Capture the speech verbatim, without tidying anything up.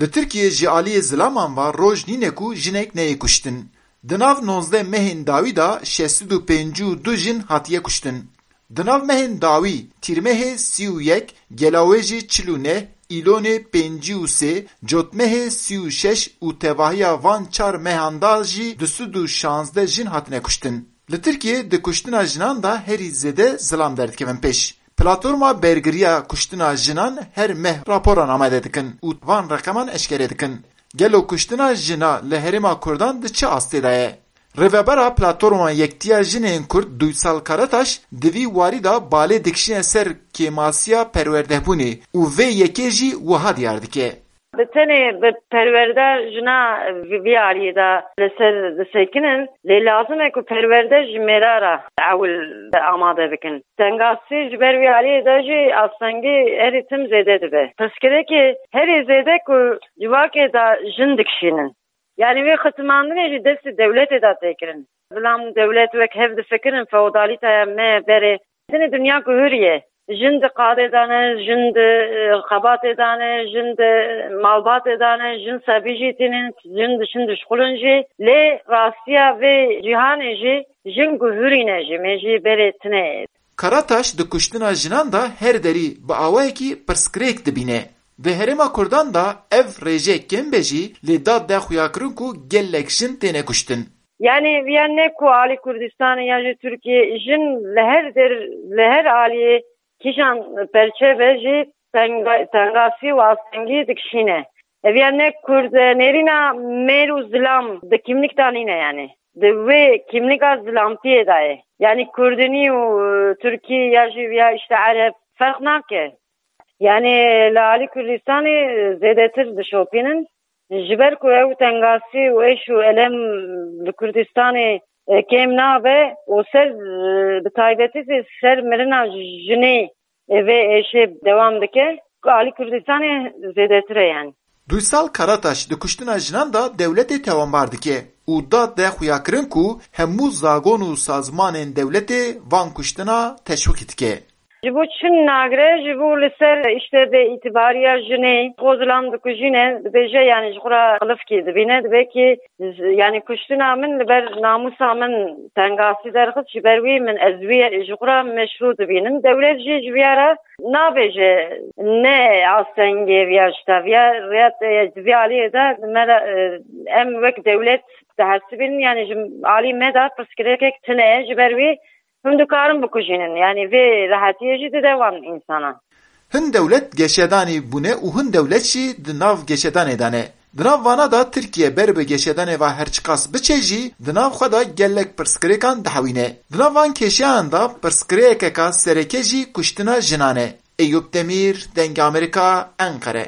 Li Tirkiyê ji aliyê zilaman ve roj nîne ku jinek neyê kuştin. Di nav nozdeh mehên dawî de şeş sed û pêncî û du jin hatiye kuştin. Di nav mehên dawî, tîrmehê sî û yek, gelawêjê çil û neh, îlonê pêncî û sê, cotmehê sî û şeş û tevahiya van çar mehan de jî du sed û şazdeh jin hatine kuştin. Li Tirkiyê di kuştina jinan de herî zêde zilam derdikevin pêş. Platforma Bergiriya Kuştina Jinan her meh raporan amade dikin û van reqeman eşkere dikin. Gelo kuştina jina li herêma Kurdan di çi astê de ye? Rêvebera Platforma Yektiya Jinên Kurd Duysal Karataş di vî warî de balê dikişîne ser kêmasiya perwerdehbûnê û vê yekê jî wiha diyar dike. Bi tenê bi perwerda jina vi-, vî aliyê de li ser disekinin, lê lazim e ku perwerde ji mêra re ewil amade bikin. Tengasî ji ber vî aliyê de jî astengî herî tim zêde dibe. Pirsgirêkê herî zêde ku civakê de jin dikişînin. Yanî vê xizimandinê jî destê dewletê de tê kirin. Zilam dewlet wek hev difikirin, feodalîtaya me berê. Tenê dinya guhuriye. Jin di qadê de ne, jin di, e, xebatê de ne, jin di malbatê de ne, jin sebî jî tînin, jin di, jin dişxulin jî. Lê rastiya vê cîhanê jî jin guhurîne jî, me jî berê tine. Karataş di kuştina jinan de her derî bi awayekî pirsgirêk dibîne. Di herêma Kurdan de ev rêje kêm be jî, lê dad de xuyakirin ku gelek jin têne kuştin. Yanî viya ne ku alî Kurdistanê ya jî Tirkiyê, jin li her der, li her aliyê kîjan perçe be jî tenga-, tengasî û astengî dikişîne. Ev ya ne Kurd, e, nêrîna mêr û zilam di kîmlik de nîne yanî. Di wê kîmlika zilamtiyê de ye. Yanî Kurdinî û, e, Tirkî ya jî viya işte Ereb ferq nake. Yanî li alî Kurdistanê zêdetir dişopînin. Ji ber ku ew tengasî û êş û elem li Kurdistanê, e, kêm nabe û ser, e, bi taybetî jî ser mirina jinê, e, vê êşê dewam dike, ku alî Kurdistanê zêdetir e yanî. Duysal Karataş di kuştina jinan de dewletê tawanbar dike û dad de xuyakirin ku hemû zagon û sazmanên dewletê van kuştina teşwîk dike. Ji bo çi nagire, ji bo li ser işte bêîtibariya jinê, xwe zilam dikujîne, dibêje, yanî ji xwe re qilifkî dibîne, dibe ki, z-, yanî kuştina min li ber namûsa min tengasî derxist, ji ber wî min ez wî ji xwe re meşrû dibînim. Dewlet jî ji viya re nabêje ne astengê viya ji te, viya, viya, e, vî aliyê de me re, e, em wek dewlet dihesibînin, yanî ji alî me de pirsgirêkek tune ye, ji ber wî hûn dikarin bikujînin. Yanî vê rehetiyê jî dide wan însanan. Hin dewlet geşedanê bûne û hin dewlet jî di nav geşedanê de ne. Di nav vana de Tirkiye ber bi geşedanê ve her çiqas biçe jî, di nav xwe de gelek pirsgirêkan dihewîne. Di nav van kêşeyan de pirsgirêkeka sereke jî kuştina jinan e. Eyûp Demîr, Dengê Amerîka, Enqere.